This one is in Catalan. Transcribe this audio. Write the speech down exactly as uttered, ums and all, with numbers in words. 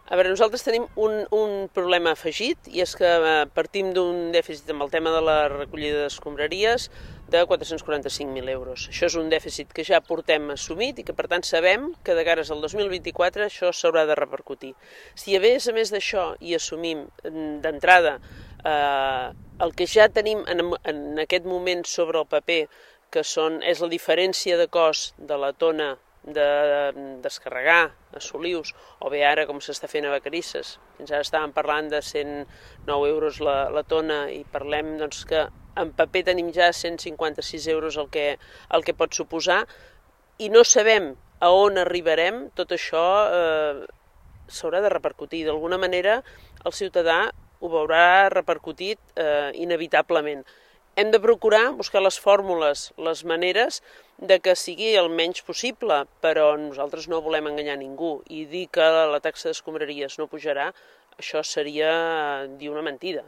A veure, nosaltres tenim un, un problema afegit i és que partim d'un dèficit amb el tema de la recollida d'escombraries de quatre-cents quaranta-cinc mil euros. Això és un dèficit que ja portem assumit i que per tant sabem que de cares al dos mil vint-i-quatre això s'haurà de repercutir. Si a més a més d'això hi assumim d'entrada eh, el que ja tenim en, en aquest moment sobre el paper, que són, és la diferència de cost de la tona de descarregar a Solius, o bé ara com s'està fent a Vacarisses. Fins ara estàvem parlant de cent nou euros la, la tona i parlem doncs, que en paper tenim ja cent cinquanta-sis euros el que, el que pot suposar i no sabem a on arribarem. Tot això eh, s'haurà de repercutir. D'alguna manera el ciutadà ho veurà repercutit eh, inevitablement. Hem de procurar buscar les fórmules, les maneres de que sigui el menys possible, però nosaltres no volem enganyar ningú i dir que la taxa d'escombraries no pujarà, això seria dir una mentida.